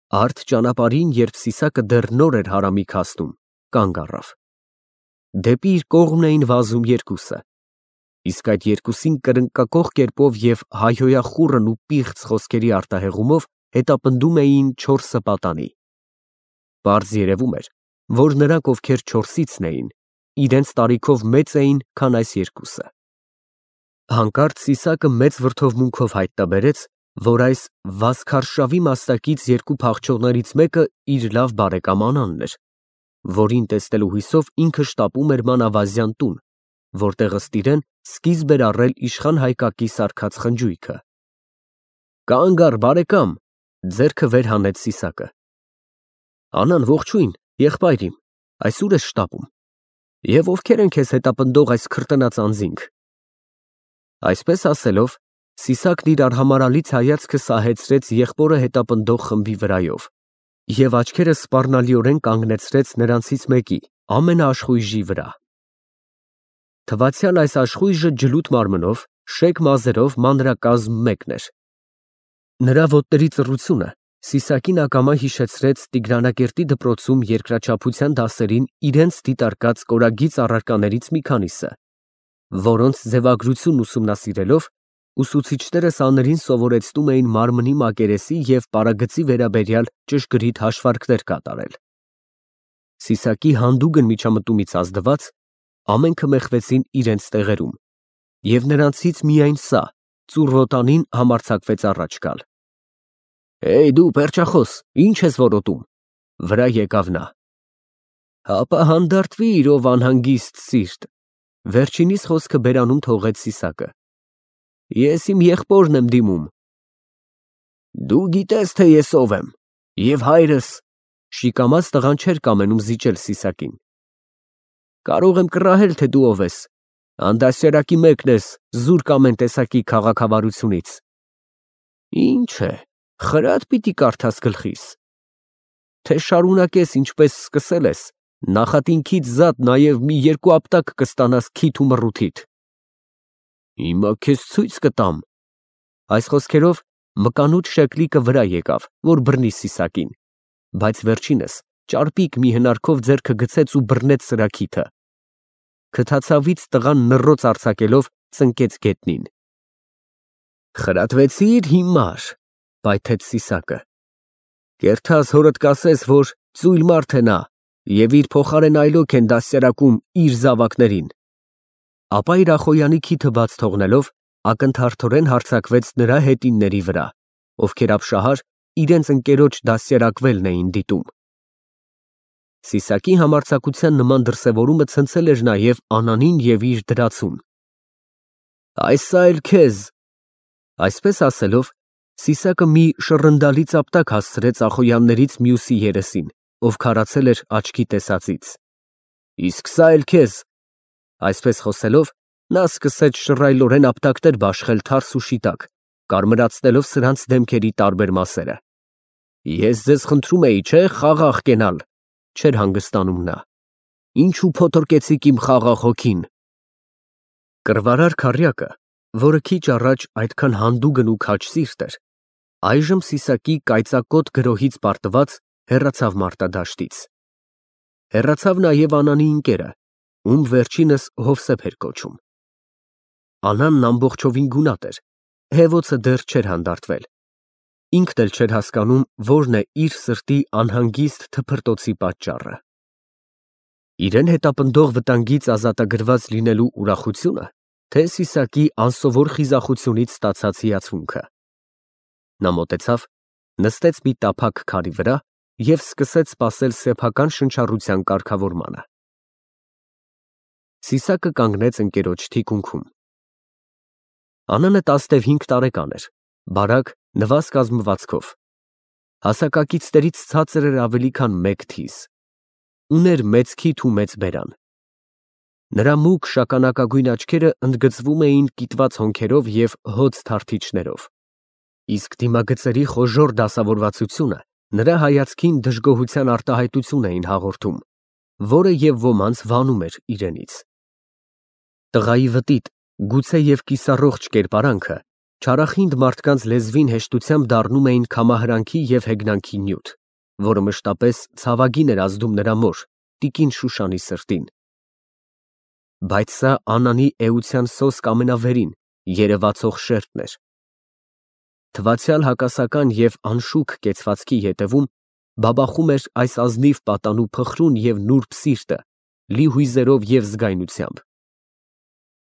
Արդ ճանապարհին, երբ Սիսակը դեռ նոր էր հարամիկ հասնում, կանգ առավ։ Դեպի իր կողմն էին վազում երկուսը, իսկ այդ երկուսին կրնկակոխ կերպով և հայհոյախուռն ու պիղծ խոսքերի արտահեղումով հետապնդում էին 4 պատանի։ Պարզ երևում էր, որ նրանք, ովքեր 4-ից էին, իրենց տարիքով մեծ էին, քան այս երկուսը։ Հանկարծ Սիսակը մեծ վրդովմունքով հայտնաբերեց, որ այս վազքարշավի մաստակից երկու փախչողներից մեկը իր լավ բարեկամ Անանն էր, որին տեսնելու հույսով ինքը շտապում էր մանավազյան տուն, որտեղ ըստ իրեն սկիզբ էր առել իշխան Հայկակի սարքած խնջույքը։ Կանգ առ, բարեկամ, ձեռքը վեր հանեց Սիսակը։ Անան, ողջույն, եղբայր իմ, այս ուր ես շտապում, և ովքեր են քեզ հետապնդող այս քրտնած անձինք։ Այսպես ասելով, Սիսակն իր արհամարհալից հայացքը սահեցրեց եղբորը հետապնդող խմբի վրայով և աչքերը սպառնալիորեն կանգնեցրեց նրանցից մեկի, ամենաաշխույժի վրա։ Թվացյալ այս աշխույժը ջլութ մարմնով, շեկ մազերով մանրակազմ մեկն էր։ Նրա ոտների ծռությունը Սիսակին ակամա հիշեցրեց Տիգրանակերտի դպրոցում երկրաչափության դասերին իրենց դիտարկած կորագիծ առարկաներից մի քանիսը, որոնց ձևագրությունն ուսումնասիրելով ուսուցիչները սաներին սովորեցնում էին մարմնի մակերեսի և պարագծի վերաբերյալ ճշգրիտ հաշվարկներ կատարել։ Սիսակի հանդուգն միջամտումից ազդված ամենքը մեխվեցին իրենց տեղերում, և նրանցից միայն սա, ծուռ ոտանին, համարձակվեց առաջ գալ։ Հեյ դու պերճախոս, ինչ ես որոտում, վրա եկավ նա։ Հապա հանդարտվիր, ով անհանգիստ սիրտ, վերջինիս խոսքը բերանում թողեց Սիսակը։ Ես իմ եղբորն եմ դիմում։ Դու գիտես, թե ես ով եմ, և հայրս, շիկամած տղան չէր կամենում զիջել Սիսակին։ Կարող եմ կռահել, թե դու ով ես, անդասյարակի մեկն ես, զուրկ ամեն տեսակի քաղաքավարությունից։ Ինչ է, խրատ պիտի կարդաս գլխիս, թե շարունակես ինչպես սկսել ես, նախատինքից զատ նաև մի 2 ապտակ կստանաս քիթ ու մռութիդ։ Հիմա քեզ ցույց կտամ։ Այս խոսքերով մկանուտ շեկլիկը վրա եկավ, որ բռնի Սիսակին, բայց վերջինս ճարպիկ մի հնարքով ձեռքը գցեց ու բռնեց սրա քիթը։ Քթացավից տղան նռոց արձակելով ծնկեց գետնին։ Խրատվեցիր հիմար, պայթեց Սիսակը։ Կերթաս հորդ կասես, որ ծույլ մարդ է նա, և իր փոխարեն այլոք են դաստիարակում իր զավակներին։ Ապա իր ախոյանի քիթը բաց թողնելով, ակնթարթորեն հարձակվեց նրա հետինների վրա, ովքեր ապշահար իրենց ընկերոջ դաստիարակվելն էին դիտում։ Սիսակի համարձակության նման դրսևորումը ցնցել էր նաև Անանին և իր դրացուն։ Այսա էլ քեզ։ Այսպես ասելով, Սիսակը մի շռնդալից ապտակ հասցրեց ախոյաններից մյուսի երեսին, ով քարացել էր աչքի տեսածից։ Իսկ սա էլ քեզ։ Այսպես խոսելով, նա սկսեց շռայլորեն ապտակներ բաշխել թարս ու շիտակ, կարմրացնելով սրանց դեմքերի տարբեր մասերը։ Ես ձեզ խնդրում էի, չէ՞, խաղաղ կենալ, չէր հանգստանում նա։ Ինչու փոթորկեցիք իմ խաղաղ հոգին։ Կռվարար քառյակը, որը քիչ առաջ այդքան հանդուգն ու քաջ սիրտ էր, այժմ Սիսակի կայծակոտ գրոհից պարտված հեռացավ մարտադաշտից։ Հեռացավ նաև Անանի ընկերը, ում վերջինս Հովսեփ էր կոչում։ Անանն ամբողջովին գունատ էր, հեվոցը դեռ չէր հանդարտվել։ Ինքն էլ չէր հասկանում, որն է իր սրտի անհանգիստ թփրտոցի պատճառը։ Իրեն հետապնդող վտանգից ազատագրված լինելու ուրախությունը, թե Սիսակի անսովոր խիզախությունից ստացած հիացմունքը։ Նա մոտեցավ, նստեց մի տափակ քարի վրա և սկսեց սպասել սեփական շնչառության կարգավորմանը։ Սիսակը կանգնեց ընկերոջ թիկունքում։ Անանը 15 տարեկան էր, բարակ, նվազ կազմվածքով։ Հասակակիցներից ցածր էր ավելի քան 1 թիզ։ Ուներ մեծ քիթ ու մեծ բերան։ Նրա մուգ շագանակագույն աչքերը ընդգծվում էին կիտված հոնքերով և հոծ թարթիչներով, իսկ դիմագծերի խոժոռ դասավորվածությունը նրա հայացքին դժգոհության արտահայտություն էին հաղորդում, որը և ոմանց վանում էր իրենից։ Տղայի վտիտ, գուցե և կիսառողջ կերպարանքը Չարախինդ մարդկանց լեզվին հեշտությամբ դառնում էին քամահրանքի և հեգնանքի նյութ, որը մշտապես ցավագին էր ազդում նրա մոր, տիկին Շուշանի սրտին։ Բայց սա Անանի էության սոսկ ամենավերին, երևացող շերտն էր։ Թվացյալ հակասական և անշուք կեցվածքի ետևում բաբախում էր այս ազնիվ պատանու փխրուն և նուրբ սիրտը, լի հույզերով և զգայնությամբ։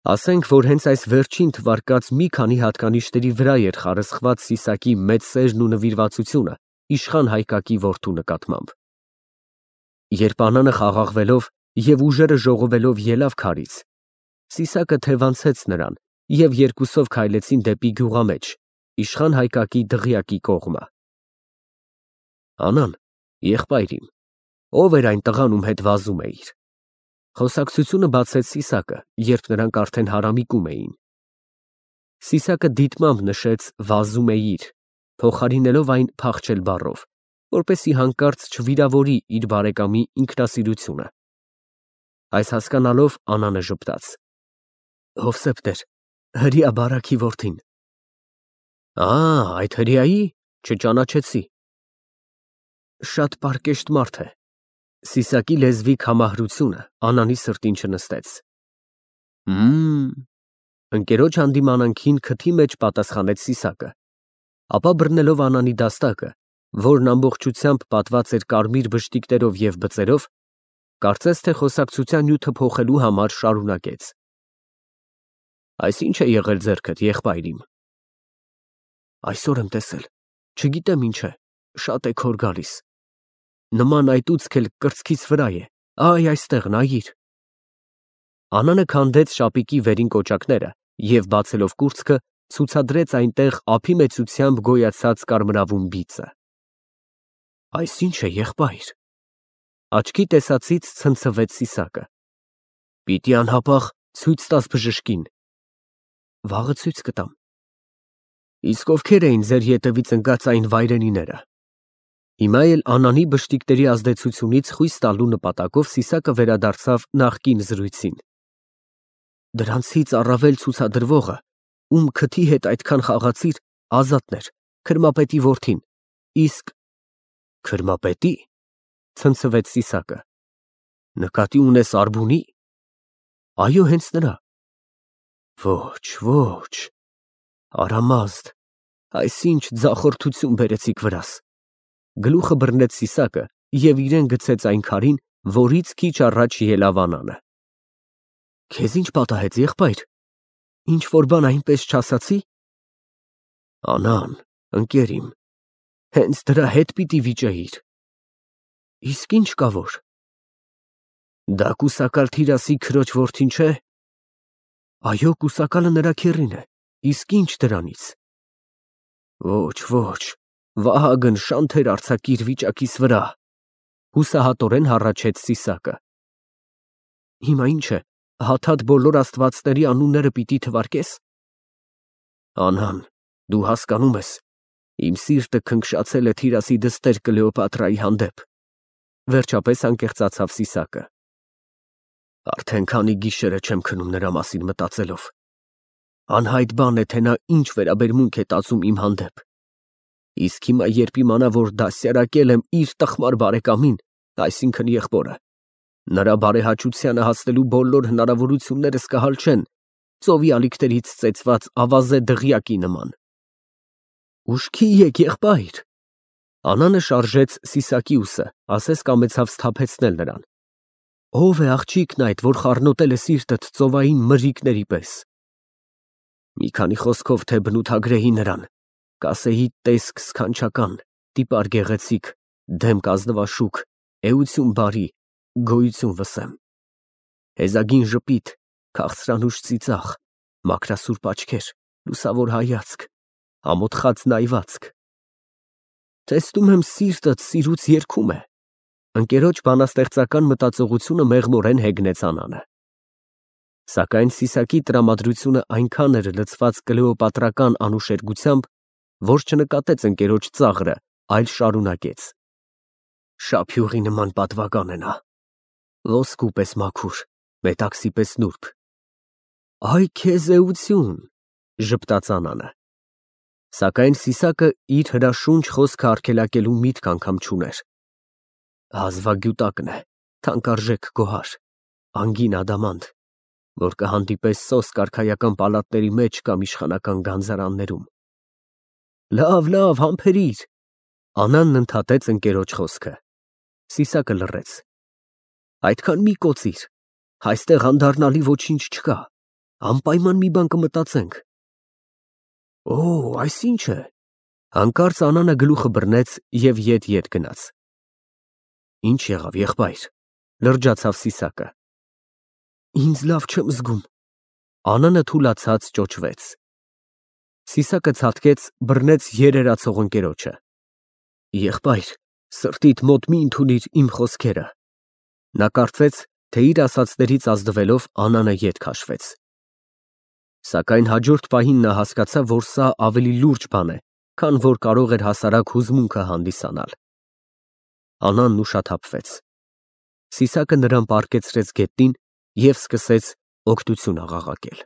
Ասենք, որ հենց այս վերջին թվարկած մի քանի հատկանիշների վրա էր խարսխված Սիսակի մեծ սերն ու նվիրվածությունը իշխան Հայկակի որդու նկատմամբ։ Երբ Անանը խաղաղվելով և ուժերը ժողովելով ելավ քարից, Սիսակը թևանցեց նրան և երկուսով քայլեցին դեպի գյուղամեջ, իշխան Հայկակի դղյակի կողմը։ Անան, եղբայր իմ, ո՞վ էր այն տղան, ում հետ վազում էիր։ Խոսակցությունը բացեց Սիսակը, երբ նրանք արդեն հարամիկում էին։ Սիսակը դիտմամբ նշեց վազում էիր, փոխարինելով այն փախչել բառով, որպեսզի հանկարծ չվիրավորի իր բարեկամի ինքնասիրությունը։ Այս հասկանալով Անանը ժպտաց. Հովսեփ տեր, հրեա բարաքի որդին։ Այդ հրեայի, չճանաչեցի։ Շատ պարկեշտ մարդ է։ Սիսակի լեզվի քամահրությունը Անանի սրտին չնստեց։ Ընկերոջ հանդիմանանքին քթի մեջ պատասխանեց Սիսակը, ապա բռնելով Անանի դաստակը, որն ամբողջությամբ պատված էր կարմիր բշտիկներով և բծերով, կարծես թե խոսակցության նյութը փոխելու համար շարունակեց. Այս ի՞նչ է եղել ձեռքդ, եղբայր իմ։ Այսօր եմ տեսել, չգիտեմ ինչ է, շատ է քոր գալիս։ Նման այտուցք էլ կրծքիս վրա է, այստեղ նայիր։ Անանը քանդեց շապիկի վերին կոճակները և, բացելով կուրծքը, ցուցադրեց այնտեղ ափի մեծությամբ գոյացած կարմրավուն բիծը։ Այս ի՞նչ է, եղբայր։ Աչքի տեսածից ցնցվեց Սիսակը։ Պիտի անհապաղ ցույց տաս բժշկին։ Վաղը ցույց կտամ։ Իսկ ովքեր էին ձեր ետևից ընկած այն վայրենիները։ Հիմա էլ Անանի բշտիկների ազդեցությունից խույս տալու նպատակով Սիսակը վերադարձավ նախկին զրույցին։ Դրանցից առավել ցուցադրվողը, ում քթի հետ այդքան խաղացիր, Ազատն էր, քրմապետի որդին, իսկ… Քրմապետի՞, ցնցվեց Սիսակը։ Նկատի ունես Արբունի։ Այո, հենց նրա։ Ոչ, Արամազդ, այսինչ ձախորդություն բերեցիք վրաս։ Գլուխը բռնեց Սիսակը և իրեն գցեց այն քարին, որից քիչ առաջ ելավ Անանը։ Քեզ ինչ պատահեց, եղբայր, ինչ-որ բան այնպես չասացի։ Անան, ընկեր իմ, հենց դրա հետ պիտի վիճեիր։ Իսկ ինչ կա որ։ Դա կուսակալ Թիրասի քրոջ որդին չէ։ Այո, կուսակալը նրա քեռին է, իսկ ինչ դրանից։ Ոչ, Վահագն, շանթեր արձակիր վիճակիս վրա, հուսահատորեն հառաչեց Սիսակը։ Հիմա ինչ է, հաթաթ բոլոր աստվածների անունները պիտի թվարկես։ Անան, դու հասկանում ես, իմ սիրտը քնքշացել է Թիրասի դստեր Կլեոպատրայի հանդեպ, վերջապես անկեղծացավ Սիսակը։ Արդեն քանի գիշեր է չեմ քնում նրա մասին մտածելով։ Անհայտ բան է, թե նա ինչ վերաբերմունք է տածում իմ հանդեպ։ Իսկ հիմա, երբ իմանա, որ դասյարակել եմ իր տխմար բարեկամին, այսինքն եղբորը, նրա բարեհաճությանը հասնելու բոլոր հնարավորություններս կհալչեն ծովի ալիքներից ծեծված ավազե դղյակի նման։ Ուշքի եկ, եղբայր։ Անանը շարժեց Սիսակի ուսը, ասես կամեցավ սթափեցնել նրան։ Ո՞վ է աղջիկն այդ, որ խառնոտել է սիրտդ ծովային մրրիկների պես։ Մի քանի խոսքով թե բնութագրեի նրան, կասեի տեսք սքանչական, տիպար գեղեցիկ, դեմք ազնվաշուք, էություն բարի, գոյություն վսեմ։ Հեզագին ժպիտ, քաղցրանուշ ծիծաղ, մաքրասուրբ աչքեր, լուսավոր հայացք, ամոթխած նայվածք։ Տեսնում եմ սիրտդ սիրուց երգում է։ Ընկերոջ բանաստեղծական մտածողությունը մեղմորեն հեգնեց Անանը։ Սակայն Սիսակի տրամադրությունը այնքան էր լցված կլեոպատրական անուշերգությամբ, որ չնկատեց ընկերոջ ծաղրը, այլ շարունակեց. Շափյուղի նման պատվական է նա, ոսկու պես մաքուր, մետաքսի պես նուրբ։ Այ քեզ էություն, ժպտաց Անանը։ Սակայն Սիսակը իր հրաշունչ խոսքը արգելակելու միտք անգամ չուներ։ Հազվագյուտակն է, թանկարժեք գոհար, անգին ադամանտ, որ կհանդիպես սոսկ արքայական պալատների մեջ կամ իշխանական գանձարաններում։ Լավ, համբերիր։ Անանն ընդհատեց ընկերոջ խոսքը։ Սիսակը լռեց։ Այդքան մի կոծիր, այստեղ անդառնալի ոչինչ չկա, անպայման մի բան կմտածենք։ Օ, այս ինչ է։ Հանկարծ Անանը գլուխը բռնեց և ետ գնաց։ Ինչ եղավ, եղբայր, լրջացավ Սիսակը։ Ինձ լավ չեմ զգում։ Անանը թուլացած ճոճվեց։ Սիսակը ցատկեց, բռնեց երերացող ընկերոջը։ Եղբայր, սրտիդ մոտ մի ընդունիր իմ խոսքերը։ Նա կարծեց, թե իր ասածներից ազդվելով Անանը ետ քաշվեց։ Սակայն հաջորդ պահին նա հասկացավ, որ սա ավելի լուրջ բան է, քան որ կարող էր հասարակ հուզմունքը հանդիսանալ։ Անանն ուշաթափվեց։ Սիսակը նրան պառկեցրեց գետնին և սկսեց օգնություն աղաղակել։